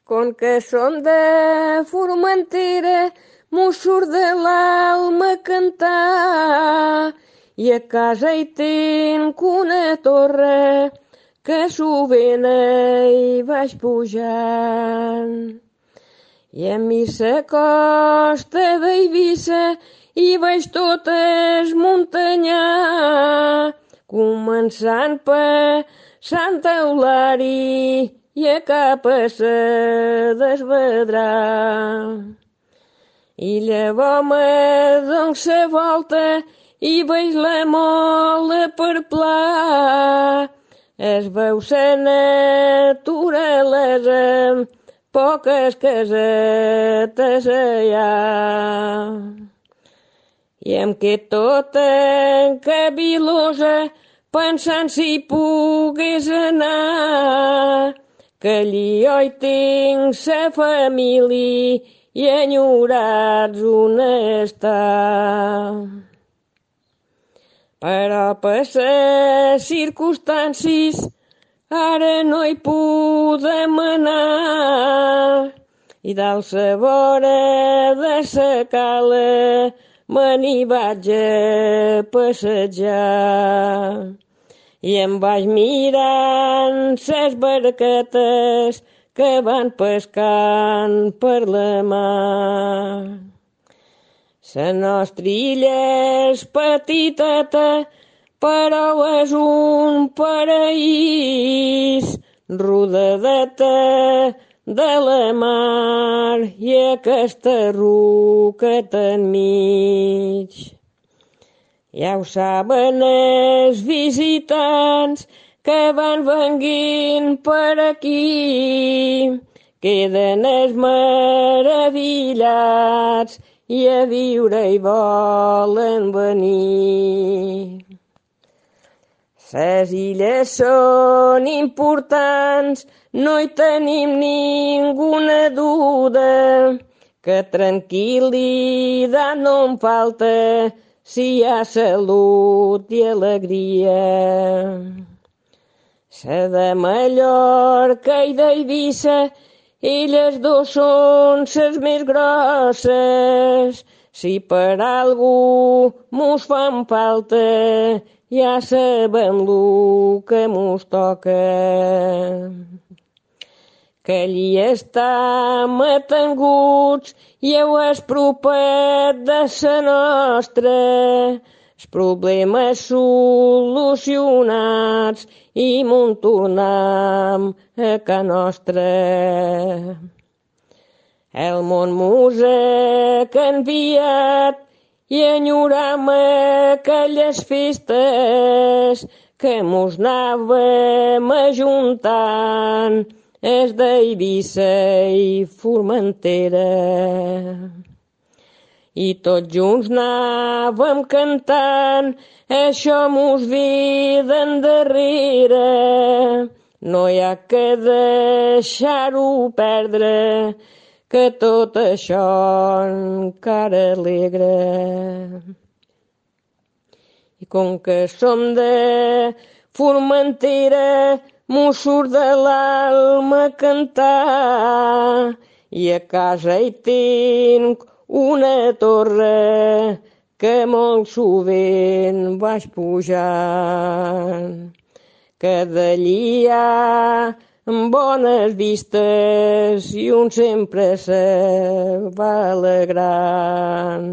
Com que som de Formentera, mos surt de l'alma cantar, i a casa hi tinc una torre que sovint hi vaig pujant. I a mi la costa d'Eivissa hi veig tot esmuntanyar, començant per Santa Eulària i a cap a sa Desvedrà. I llavors me dono sa volta i veig la mola per pla. Es veu sa naturalesa, poques casetes allà. I em quedo tota encabilosa pensant si pogués anar, que allí jo hi tinc sa família i enyorats on està. Però per les circumstàncies ara no hi podem anar, i dalt la vora de sa cala me n'hi vaig a passejar. I em vaig mirant ses barquetes que van pescant per la mar. La nostra illa és petiteta, però és un paraís, rodadeta de la mar i aquesta roqueta enmig. Ja ho saben els visitants que van venguint per aquí, queden els meravillats i a viure hi volen venir. Les illes són importants, no hi tenim ninguna duda, que tranquil·litat no em falta si hi ha salut i alegria. La de Mallorca i d'Eivissa, elles dos són les més grosses. Si per algú mos fan falta, ja sabem lo que mos toca. Que allí estam atenguts i heu propet de sa nostra, els problemes solucionats i mon tornam a ca nostra. El món mos ha canviat i enyoram aquelles festes que mos anàvem ajuntant és d'Eivissa i Formentera. I tots junts anàvem cantant, això mos ve d'endarrere. No hi ha que deixar-ho perdre, que tot això encara alegra. I com que som de Formentera, mos surt de l'alma cantar, i a casa hi tinc una torre que molt sovint vaig pujant, que d'allí hi ha bones vistes i un sempre se va alegrant.